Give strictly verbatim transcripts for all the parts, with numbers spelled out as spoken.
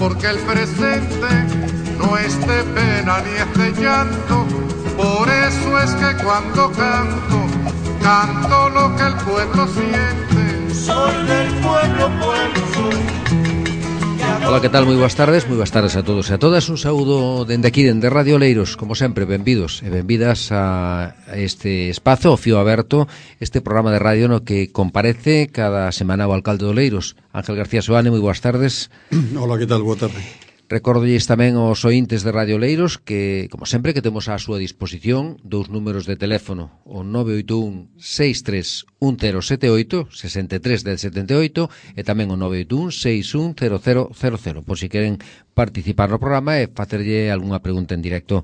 porque el presente no es de pena ni es de llanto. Por eso es que cuando canto, canto lo que el pueblo siente. Soy del pueblo, pueblo soy. Ola, que tal? Moi boas tardes, moi boas tardes a todos e a todas. Un saúdo dende aquí, dende Radio Oleiros. Como sempre, benvidos e benvidas a este espazo, o Fío Aberto, este programa de radio no que comparece cada semana o alcalde de Oleiros, Ángel García Soane. Moi boas tardes. Hola, que tal? Boa tarde. Recórdolles tamén aos ointes de Radio Oleiros que, como sempre, que temos á súa disposición dous números de teléfono, o nove oito un, seis tres un cero sete oito, sesenta e tres dez setenta e oito, e tamén o nove oito un, seis un cero cero cero cero, por si queren participar no programa e facerlle algunha pregunta en directo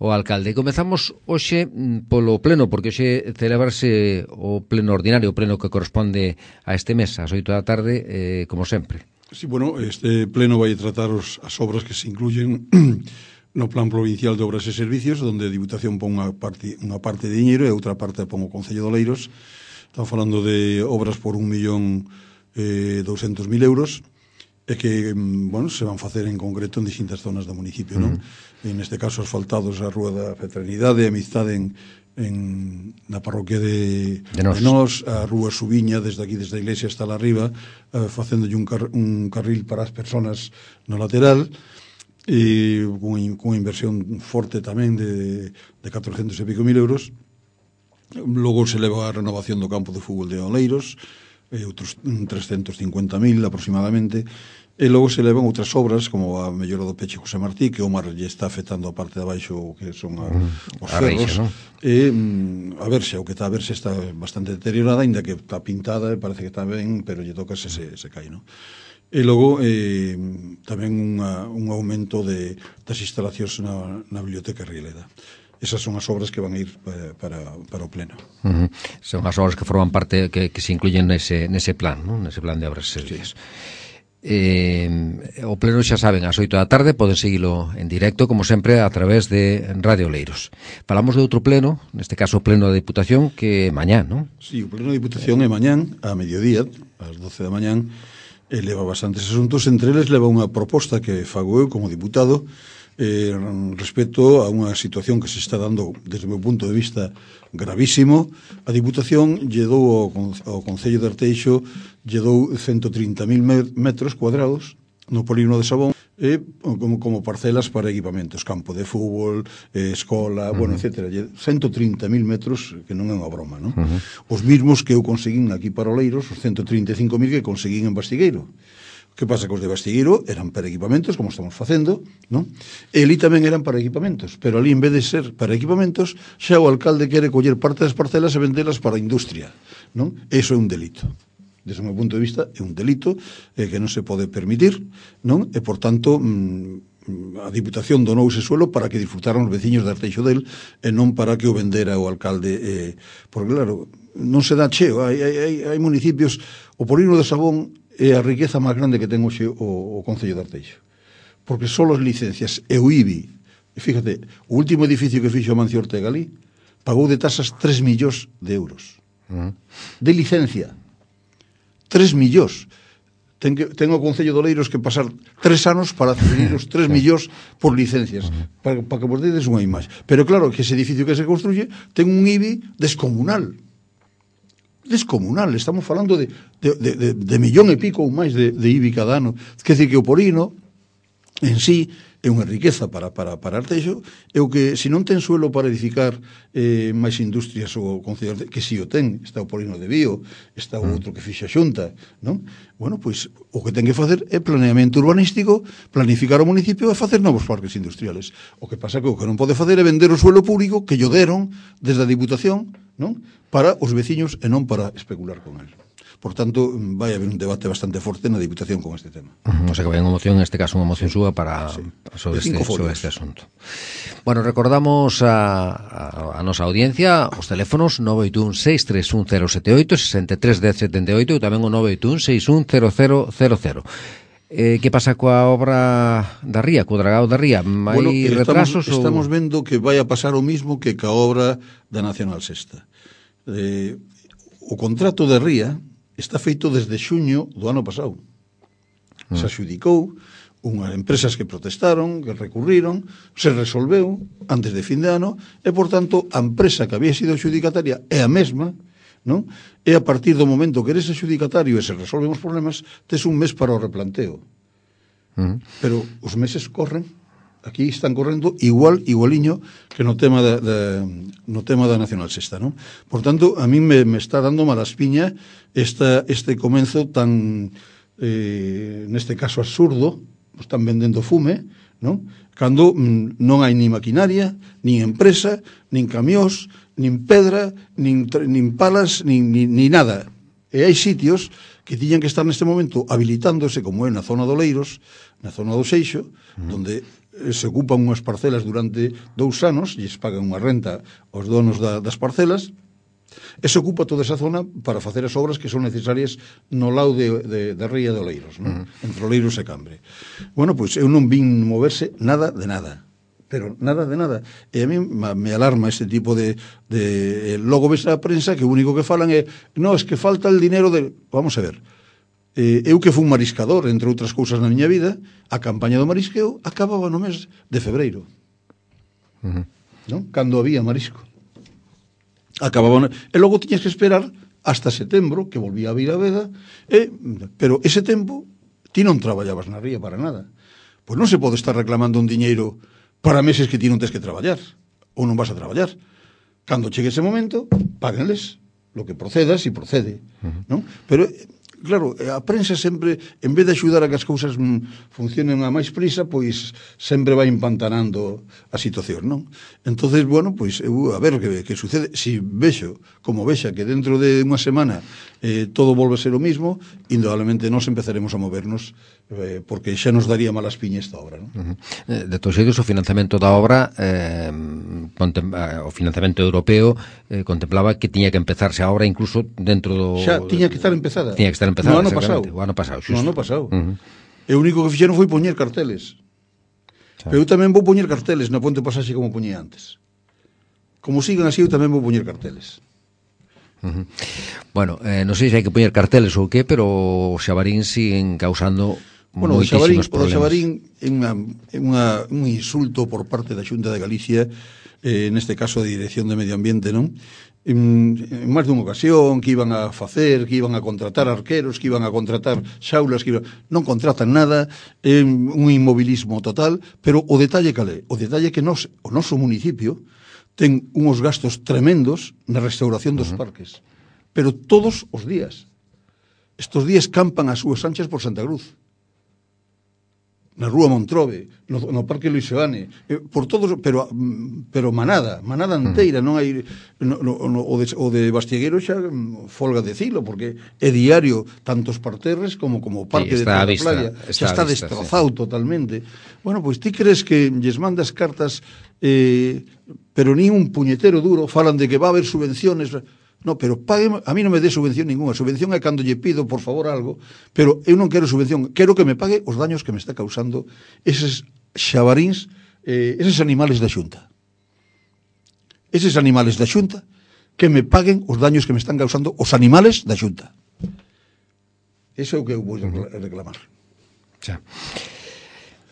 ao alcalde. Comezamos hoxe polo pleno, porque hoxe celebrarse o pleno ordinario, o pleno que corresponde a este mes, ás oito da tarde, eh, como sempre. Sí, bueno, este pleno vai tratar os, as obras que se incluyen no Plan Provincial de Obras e Servicios, onde a Diputación pon unha parte, unha parte de diñeiro e outra parte pon o Concello de Oleiros. Están falando de obras por un millón eh, doscientos mil euros e que, bueno, se van facer en concreto en distintas zonas do municipio, non? Uh-huh. En este caso, asfaltados a Rúa da Fraternidade, a Amistade en en na parroquia de, de, nos. de Nos, a Rúa Subiña, desde aquí, desde a iglesia hasta la arriba, eh, facéndolle un, car, un carril para as personas no lateral, e con unha inversión forte tamén de, de catrocentos e pico mil euros. Logo se leva a renovación do campo de fútbol de Oleiros, e outros trescentos cincuenta mil aproximadamente. E logo se levan outras obras, como a mellora do Peche José Martí, que o mar lle está afectando a parte de abaixo, que son a, os a ferros. Reixa, ¿no? E a verse, o que está a verse está bastante deteriorada, ainda que está pintada, e parece que está ben, pero lle toca se, se, se cae, non? E logo eh, tamén unha, un aumento de, das instalacións na, na Biblioteca Rieleda. Esas son as obras que van a ir para, para, para o pleno. Uh-huh. Son as obras que forman parte, que, que se incluyen nese, nese plan, ¿no? Nese plan de obras e servicios. Sí. Eh, o pleno, xa saben, ás oito da tarde poden seguilo en directo, como sempre, a través de Radio Oleiros. Falamos de outro pleno, neste caso o pleno da Diputación, que é mañán, non? Sí, o pleno da Diputación é mañán, a mediodía, ás doce da mañán, e leva bastantes asuntos. Entre eles leva unha proposta que fago eu como diputado eh, respecto a unha situación que se está dando desde o meu punto de vista gravísimo. A Diputación lle dou ao, ao Concello de Arteixo lle dou ciento trinta mil metros cuadrados no polígono de Sabón e como, como parcelas para equipamentos, campo de fútbol, eh, escola, uh-huh. bueno, etcétera. ciento trinta mil metros, que non é unha broma, non? Uh-huh. Os mismos que eu conseguín aquí para Oleiros, os ciento trinta e cinco mil que conseguín en Bastigueiro. Que pasa que os de Bastigueiro eran para equipamentos, como estamos facendo, non? E ali tamén eran para equipamentos, pero ali en vez de ser para equipamentos, xa o alcalde quere coller parte das parcelas e vendelas para a industria, non? Eso é un delito. Desde o meu punto de vista, é un delito eh, que non se pode permitir, non? E, por tanto, mm, a Diputación donou ese suelo para que disfrutaran os veciños de Arteixo del e non para que o vendera o alcalde. Eh, porque, claro, non se dá cheo. Hai, hai, hai municipios, o polígono de Sabón é a riqueza máis grande que ten hoxe o, o Concello de Arteixo. Porque só as licencias e o I B I, e fíjate, o último edificio que fixo Amancio Ortega ali, pagou de tasas tres millóns de euros. Uh-huh. De licencia. tres millóns. Ten, que, ten o Concello de Oleiros que pasar tres anos para adquirir os tres millóns por licencias, uh-huh. para, para que vos dedes unha imaxe. Pero claro, que ese edificio que se construye ten un I B I descomunal. Descomunal, estamos falando de, de, de, de, de millón e pico ou máis de, de I B I cada ano. Quer dizer que o polígono en sí é unha riqueza para, para, para Arteixo, é o que, se non ten suelo para edificar eh, máis industrias o Concello de, que si o ten, está o polígono de Bío, está o outro que fixa Xunta, non? Bueno, pois, o que ten que facer é planeamento urbanístico, planificar o municipio e facer novos parques industriales. O que pasa que o que non pode facer é vender o suelo público que lle deron desde a Diputación, non? Para os veciños e non para especular con el. Por tanto, vai haber un debate bastante forte na Diputación con este tema. Uh-huh. O sea que vai unha moción, en este caso unha moción súa para sí. sobre, este, sobre este asunto. Bueno, recordamos a, a, a nosa audiencia os teléfonos nove oito un, seis tres un, cero sete oito, sesenta e tres dez setenta e oito e tamén o nove oito un, seis un, cero cero cero cero. Eh, que pasa coa obra da Ría, co dragado da Ría? Hai bueno, retrasos? Estamos, ou... estamos vendo que vai a pasar o mismo que ca obra da Nacional Sexta. Eh, o contrato de Ría está feito desde xuño do ano pasado. Se adxudicou, unhas empresas que protestaron, que recurriron, se resolveu antes de fin de ano, e, por tanto, a empresa que había sido adjudicataria é a mesma, non? E a partir do momento que eres adjudicatario e se resolven os problemas, tes un mes para o replanteo. Uh-huh. Pero os meses corren, aquí están correndo igual, igualiño que no tema da, da, no tema da Nacional Sexta, non? Por tanto, a mí me, me está dando mala espiña esta, este comenzo tan, eh, neste caso, absurdo. Están vendendo fume, non? Cando mm, non hai ni maquinaria, nin empresa, nin camións, nin pedra, nin, nin palas, nin, nin, nin nada. E hai sitios que tiñan que estar neste momento habilitándose, como é na zona do Leiros, na zona do Seixo, mm. donde se ocupan unhas parcelas durante dous anos, e se pagan unha renta aos donos da, das parcelas, e se ocupa toda esa zona para facer as obras que son necesarias no lado de, de, de Ría de Oleiros, non? Uh-huh. Entre Oleiros e Cambre. Bueno, pois eu non vin moverse nada de nada, pero nada de nada. E a mí me alarma este tipo de, de logo ves a prensa que o único que falan é no, es que falta el dinero de... Vamos a ver, eh, eu que fui un mariscador, entre outras cousas na miña vida, a campaña do marisqueo acababa no mes de febreiro, uh-huh. non? Cando había marisco. Acababan, e logo tiñas que esperar hasta setembro, que volvía a vir a veda, e, pero ese tempo ti non traballabas na ría para nada. Pois non se pode estar reclamando un diñeiro para meses que ti non tes que traballar, ou non vas a traballar. Cando chegue ese momento, páguenles lo que proceda, si procede, uh-huh. non? Pero, claro, a prensa sempre, en vez de axudar a que as cousas mm, funcionen a máis prisa, pois sempre vai empantanando a situación, non? Entonces, bueno, pois, eu, a ver que, que sucede. Si vexo, como vexa, que dentro de unha semana eh, todo volve a ser o mismo, indudablemente nos empezaremos a movernos, eh, porque xa nos daría malas piña esta obra, non? Uh-huh. De todos xeitos, o financiamento da obra, eh, contem, eh, o financiamento europeo, eh, contemplaba que tiña que empezarse a obra incluso dentro do... Xa, tiña que estar empezada. Tiña que estar empezado, no ano pasado. O ano pasado, xusto. No ano pasado. Uh-huh. E o único que fixeron foi poñer carteles. Pero eu tamén vou poñer carteles na Ponte Pasaxe como poñía antes. Como sigan así, eu tamén vou poñer carteles. Uh-huh. Bueno, eh, non sei se hai que poñer carteles ou que, pero os xabarín siguen causando bueno, moitísimos problemas. O xabarín é unha, é unha, un insulto por parte da Xunta de Galicia, eh, neste caso de Dirección de Medio Ambiente, non? En, en máis dunha ocasión que iban a facer, que iban a contratar arqueros, que iban a contratar xaulas, que iban... non contratan nada, é un inmobilismo total, pero o detalle calé, o detalle que nos, o noso municipio ten unhos gastos tremendos na restauración dos uh-huh. parques, pero todos os días. Estos días campan as súas anchas por Santa Cruz, na Rúa Montrobe, no, no Parque Luis Seoane, eh, por todos, pero pero manada, manada inteira, non hai no, no, no, o, de, o de Bastiegueiro xa folga de cilo, porque é diario tanto os parterres como como o Parque sí, de la Playa, xa está vista, destrozado sí. totalmente. Bueno, pois ti crees que lles mandas cartas eh, pero ni un puñetero duro, falan de que va a haber subvenciones. No, pero pague, a mí non me dé subvención ninguna. Subvención é cando lle pido, por favor, algo, pero eu non quero subvención, quero que me pague os daños que me está causando eses xabaríns, eh, eses animales da Xunta. Eses animales da Xunta que me paguen os daños que me están causando os animales da Xunta. Eso é o que eu vou reclamar. Xa.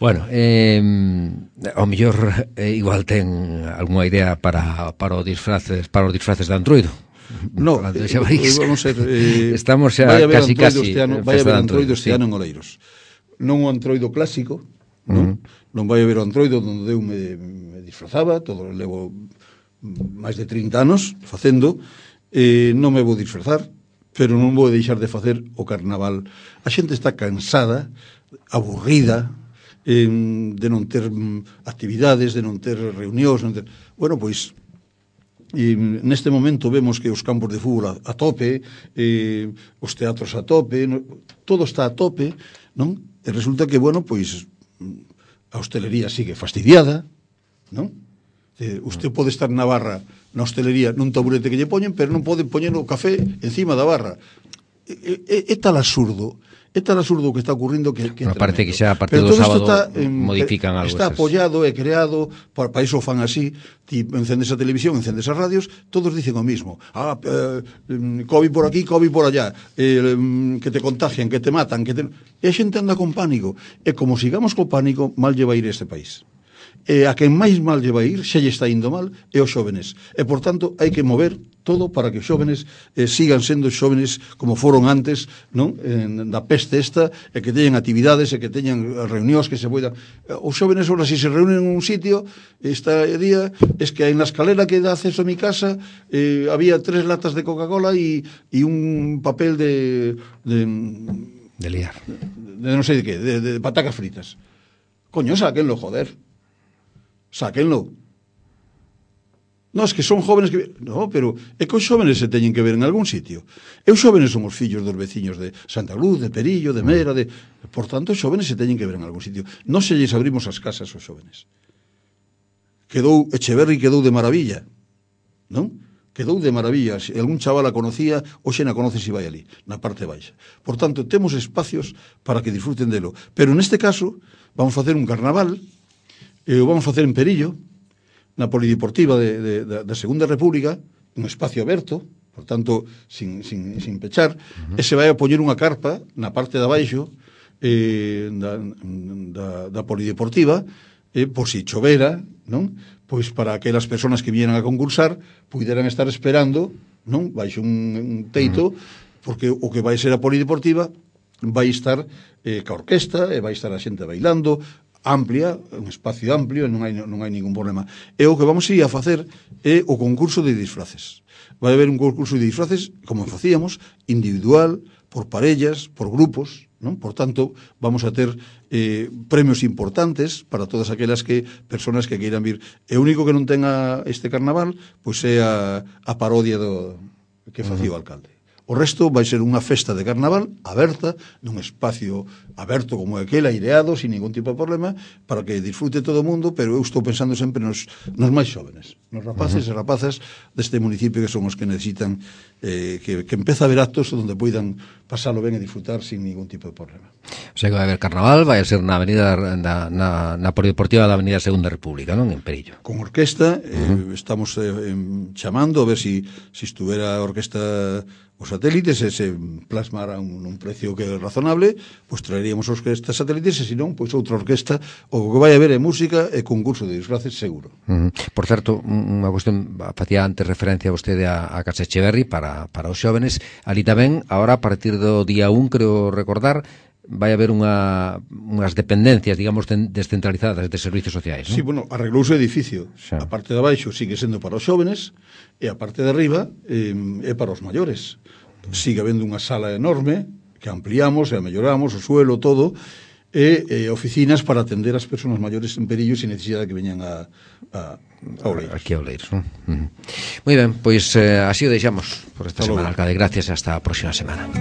Bueno, eh, ao mellor eh, igual ten algunha idea para, para, o disfraces, para os disfraces de Antroido. No, eh, vamos a ser, eh, estamos xa casi casi este ano, vai haber Antroido este sí. ano en Oleiros. Non o Antroido clásico, non? Uh-huh. Non vai haber o Antroido onde eu me, me disfrazaba, todo levo máis de trinta anos facendo, eh, non me vou disfrazar, pero non vou deixar de facer o carnaval. A xente está cansada, aburrida, eh, de non ter actividades, de non ter reunións, non ter... Bueno, pois e neste momento vemos que os campos de fútbol a, a tope, eh, os teatros a tope, no, todo está a tope, non? E resulta que, bueno, pois a hostelería sigue fastidiada, non? Eh, usted pode estar na barra, na hostelería, nun taburete que lle poñen, pero non pode poñer o café encima da barra. É, é, é tal absurdo, É tal absurdo o que está ocurrindo que, que bueno, parece que xa a partir do sábado está, eh, modifican algo. Está esas. apoyado e creado, para, para iso fan así, ti encendes a televisión, encendes as radios, todos dicen o mismo. Ah, eh, COVID por aquí, COVID por allá, eh, que te contagian, que te matan, que te... E a xente anda con pánico. E como sigamos co pánico, mal lle vai ir este país. E a quen máis mal lle vai ir, xa lle está indo mal, é os xóvenes. E, por tanto, hai que mover todo para que os xóvenes eh, sigan sendo xóvenes como foron antes, non? En, da peste esta, e que teñan actividades, e que teñan reunións que se poidan... Os xóvenes, ahora, se se reúnen en un sitio, esta día, es que en la escalera que dá acceso a mi casa, eh, había tres latas de Coca-Cola e, e un papel de... de de liar. De, de non sei de qué, de, de patacas fritas. Coño, sáquenlo, joder. Sáquenlo. No, es que son jóvenes que... No, pero é que os xóvenes se teñen que ver en algún sitio. E os xóvenes son os fillos dos veciños de Santa Cruz, de Perillo, de Mera, de... Por tanto, os xóvenes se teñen que ver en algún sitio. Non se lles abrimos as casas aos xóvenes. Quedou, Echeverri quedou de maravilla, non? Quedou de maravilla. Se algún chaval a conocía, hoxe na conoce se vai ali, na parte baixa. Por tanto, temos espacios para que disfruten delo. Pero neste caso, vamos facer un carnaval, e o vamos facer en Perillo, na Polideportiva de, de, de, da Segunda República, un espacio aberto, por tanto, sin, sin, sin pechar, uh-huh. e se vai a poñer unha carpa na parte de abaixo eh, da, da, da Polideportiva, eh, por si chovera, non? Pois para aquelas persoas que vieran a concursar puderan estar esperando, non? Baixo un, un teito, uh-huh. porque o que vai ser a Polideportiva vai estar eh, ca orquesta, e vai estar a xente bailando, amplia, un espacio amplio, e non hai, non hai ningún problema. E o que vamos a ir a facer é o concurso de disfraces. Vai haber un concurso de disfraces, como facíamos, individual, por parellas, por grupos, non? Por tanto, vamos a ter eh, premios importantes para todas aquelas que personas que queiran vir. E o único que non tenga este carnaval, pois é a, a parodia do que facía o alcalde. O resto vai ser unha festa de carnaval aberta, nun espacio aberto como aquel, aireado, sin ningún tipo de problema, para que disfrute todo o mundo, pero eu estou pensando sempre nos, nos máis xóvenes, nos rapaces uh-huh. e rapazas deste municipio que son os que necesitan eh, que, que empeza a haber actos onde poidan pasalo ben e disfrutar sin ningún tipo de problema. O sea que vai haber carnaval, vai a ser na avenida na, na, na Polideportiva da Avenida Segunda República, non? En Perillo. Con orquesta, uh-huh. eh, estamos eh, chamando a ver si, si estuvera a orquesta os satélites e se plasmara un, un precio que é razonable, pois traeríamos os orquestas satélites e se non, pois outra orquesta. O que vai haber é música e concurso de disfraces seguro. Uh-huh. Por certo, unha cuestión, facía antes referencia a vostede a, a Casa Echeverri para, para os xóvenes. Ali tamén, agora a partir do día un, creo recordar, vai haber unha, unhas dependencias, digamos, descentralizadas de servicios sociais, non? Sí, bueno, arreglouse o edificio. Xa. A parte de abaixo sigue sendo para os xóvenes e a parte de arriba eh, é para os maiores. Sigue habendo unha sala enorme que ampliamos e melloramos o suelo, todo, e, e oficinas para atender as persoas maiores en Perillo sin necesidade que veñan a, a, a Oleiros. Aquí a Oleiros, non? Uh-huh. Moi ben, pois eh, así o deixamos por esta Hasta semana, luego. alcalde. Gracias, hasta a próxima semana.